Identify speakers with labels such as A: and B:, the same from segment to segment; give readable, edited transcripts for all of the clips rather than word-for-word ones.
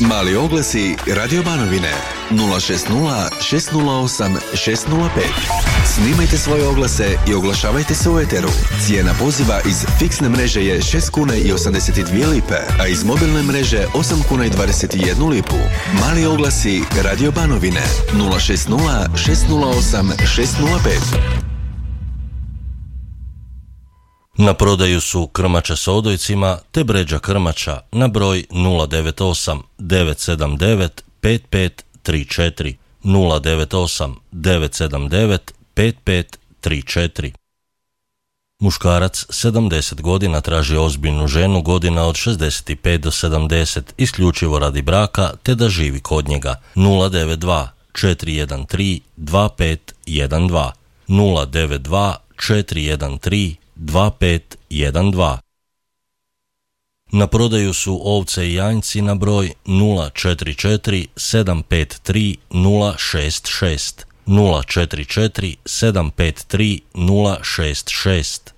A: Mali oglasi Radio Banovine 060 608 605. Snimajte svoje oglase i oglašavajte se u eteru. Cijena poziva iz fiksne mreže je 6 kuna i 82 lipe, a iz mobilne mreže 8 kuna i 21 lipu. Mali oglasi Radio Banovine 060 608 605.
B: Na prodaju su krmača s odojcima te bređa krmača na broj 098 979 5534 098 979 5534. Muškarac 70 godina traži ozbiljnu ženu godina od 65 do 70 isključivo radi braka te da živi kod njega. 092 413 2512 092 413 2512. Na prodaju su ovce i janjci na broj 044 753 066 044 753 066.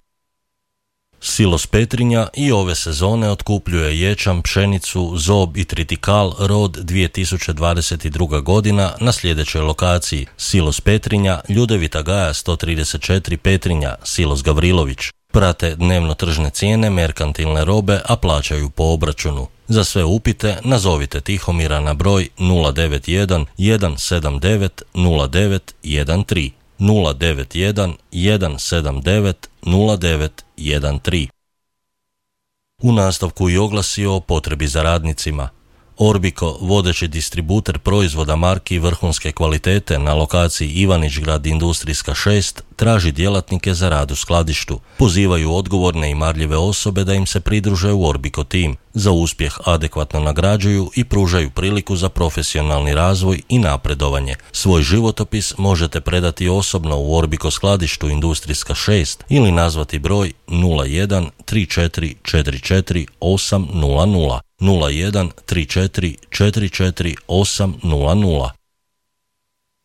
B: Silos Petrinja i ove sezone otkupljuje ječam, pšenicu, zob i tritikal rod 2022. godina na sljedećoj lokaciji: Silos Petrinja, Ljudevita Gaja 134 Petrinja, Silos Gavrilović. Prate dnevno tržne cijene merkantilne robe, a plaćaju po obračunu. Za sve upite nazovite Tihomira na broj 091 179 0913 091 179 0913. U nastavku i oglasi o potrebi za radnicima. Orbiko, vodeći distributer proizvoda marki vrhunske kvalitete na lokaciji Ivanić-grad Industrijska 6, traži djelatnike za rad u skladištu. Pozivaju odgovorne i marljive osobe da im se pridruže u Orbiko tim. Za uspjeh adekvatno nagrađuju i pružaju priliku za profesionalni razvoj i napredovanje. Svoj životopis možete predati osobno u Orbiko skladištu Industrijska 6 ili nazvati broj 01 34 44 800 01 34 44 800.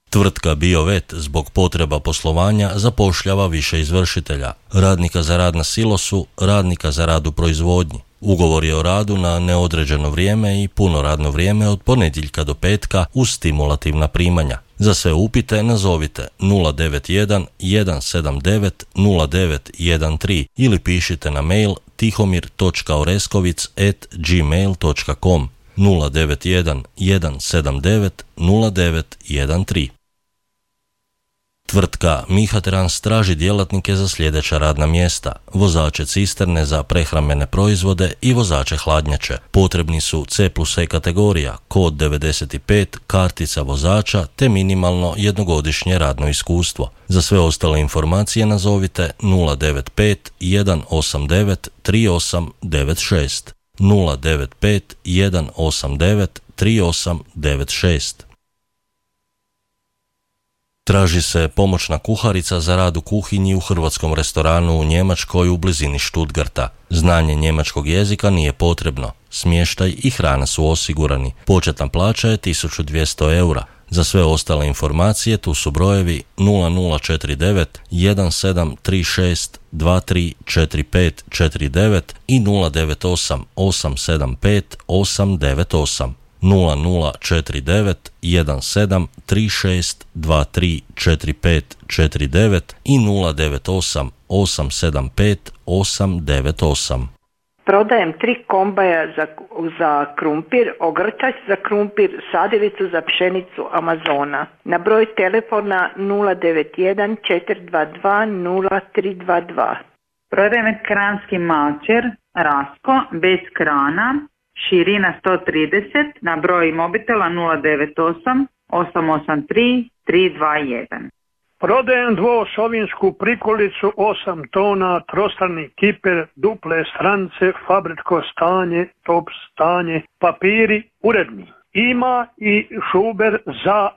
B: Tvrtka BioVet zbog potreba poslovanja zapošljava više izvršitelja, radnika za rad na silosu, radnika za rad u proizvodnji. Ugovor je o radu na neodređeno vrijeme i puno radno vrijeme od ponedjeljka do petka uz stimulativna primanja. Za sve upite nazovite 091 179 0913 ili pišite na mail tihomir.oreskovic@gmail.com 091 179 0913. Tvrtka Mihatrans traži djelatnike za sljedeća radna mjesta: vozače cisterne za prehrambene proizvode i vozače hladnjače. Potrebni su C+E kategorija, kod 95, kartica vozača te minimalno jednogodišnje radno iskustvo. Za sve ostale informacije nazovite 095 189 3896 095 189 3896. Traži se pomoćna kuharica za rad u kuhinji u hrvatskom restoranu u Njemačkoj u blizini Stuttgarta. Znanje njemačkog jezika nije potrebno. Smještaj i hrana su osigurani. Početna plaća je 1200 eura. Za sve ostale informacije tu su brojevi 0049 1736 234549 i 098 875 898. 0049 1736 234549 i 098 875 898.
C: Prodajem 3 kombaja za krumpir, ogrtač za krumpir, sadilicu za pšenicu Amazona. Na broj telefona 091 422 0322.
D: Prodajem kranski mačer, Rasko, bez krana, širina 130, na broj mobitela 098 883 321.
E: Prodajem dvosovinsku prikolicu 8 tona, trostrani kiper, duple strance, fabričko stanje, top stanje, papiri uredni. Ima i šuber za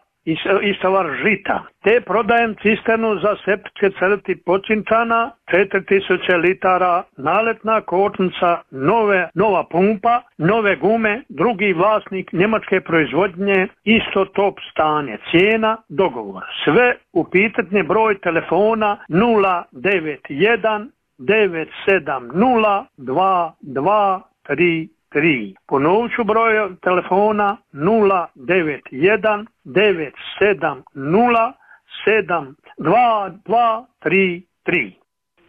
E: istovar žita. Te prodajem cisternu za septičke crti Počinčana, 4000 litara, naletna kočnica, nova pumpa, nove gume, drugi vlasnik njemačke proizvodnje, isto top stanje, cijena, dogovor. Sve upitanje broj telefona 091 970 2233. Ponovit ću broj telefona 091 970 7233.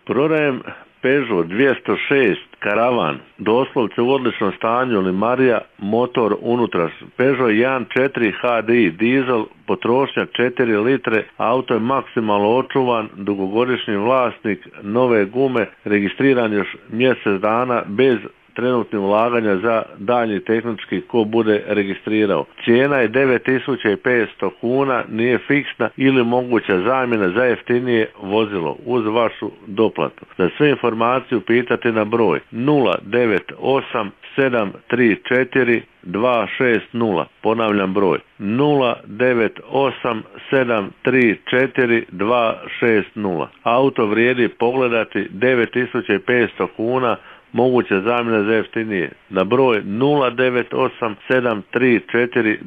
F: Prodajem Peugeot 206 Karavan, doslovce u odličnom stanju, limarija, motor unutra. Peugeot 1.4 HDI, dizel, potrošnja 4 litre, auto je maksimalno očuvan, dugogodišnji vlasnik, nove gume, registriran još mjesec dana bez trenutnih ulaganja za daljnji tehnički ko bude registrirao. Cijena je 9500 kuna, nije fiksna ili moguća zamjena za jeftinije vozilo uz vašu doplatu. Za sve informaciju pitate na broj 098 734 260. Ponavljam broj 098 734 260. Auto vrijedi pogledati 9500 kuna, moguća zamjena za jeftinije na broj 098 734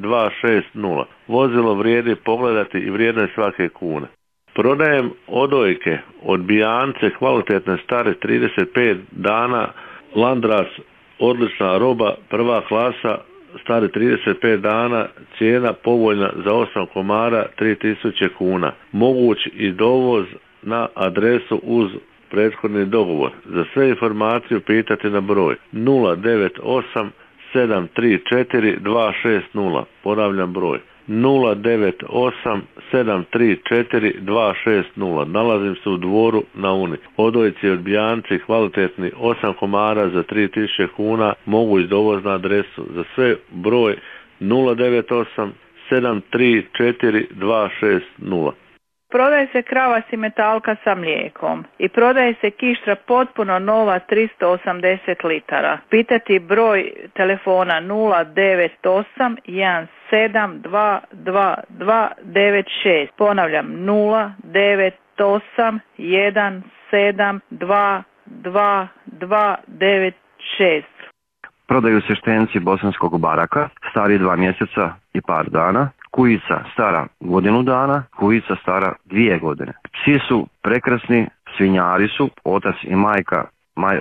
F: 260. Vozilo vrijedi pogledati i vrijedno je svake kune. Prodajem odojke, odbijance, kvalitetne stare 35 dana, Landras, odlična roba, prva klasa, stare 35 dana, cijena povoljna za 8 komara, 3000 kuna. Moguć i dovoz na adresu uz prethodni dogovor. Za sve informacije pitate na broj 098 734 260. Ponavljam broj 098 734 260. Nalazim se u Dvoru na Uni. Odojci, odbijanci, kvalitetni, 8 komara za 3000 kuna, mogu iz dovoz na adresu. Za sve broj 098 734 260.
G: Prodaje se krava simetalka sa mlijekom i prodaje se kištra potpuno nova 380 litara. Pitati broj telefona 098 17 22296. Ponavljam 098 17 22296.
H: Prodaju se štenci bosanskog baraka, stari 2 mjeseca i par dana, kujica stara 1 godinu dana, kujica stara 2 godine. Psi su prekrasni, svinjari su, otac i majka,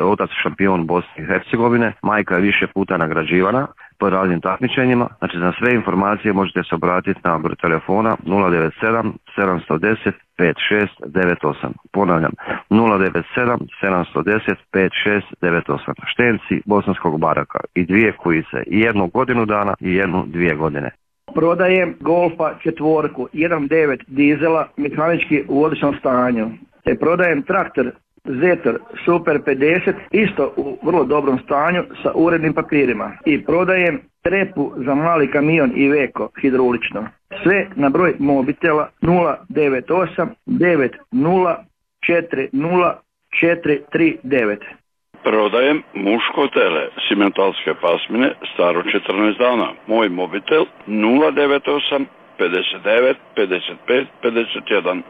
H: otac šampion Bosne i Hercegovine, majka je više puta nagrađivana po raznim takmičenjima. Znači za sve informacije možete se obratiti na broj telefona 097 710 5698. Ponavljam 097 710 5698. Štenci bosanskog baraka i 2 kujice, i 1 godinu dana i 2 godine.
I: Prodajem Golfa 4, 1.9 dizela, mehanički u odličnom stanju. Prodajem traktor Zetor Super 50, isto u vrlo dobrom stanju sa urednim papirima. I prodajem trepu za mali kamion Iveco hidraulično. Sve na broj mobitela 098 90 40 439.
J: Prodajem muško tele, simentalske pasmine, staro 14 dana. Moj mobitel 098 59 55 51.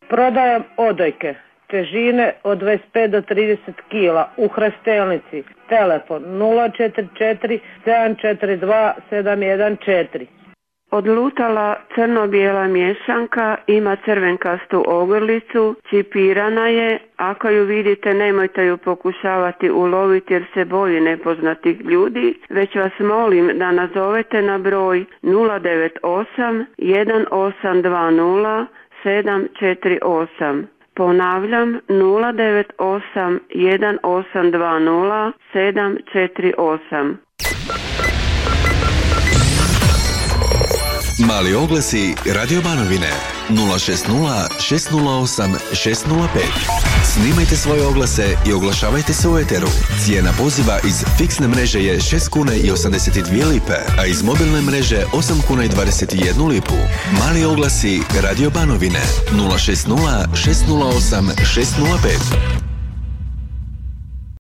K: Prodajem odojke, težine od 25 do 30 kila u Hrestelnici. Telefon 044 742 714.
L: Odlutala crno-bijela miješanka, ima crvenkastu ogrlicu, čipirana je. Ako ju vidite, nemojte ju pokušavati uloviti jer se boji nepoznatih ljudi, već vas molim da nazovete na broj 098 1820 748. Ponavljam 098 1820 748.
A: Mali oglasi Radio Banovine 060 608 605. Snimajte svoje oglase i oglašavajte se u eteru. Cijena poziva iz fiksne mreže je 6 kuna i 82 lipe, a iz mobilne mreže 8 kuna i 21 lipu. Mali oglasi Radio Banovine 060 608 605.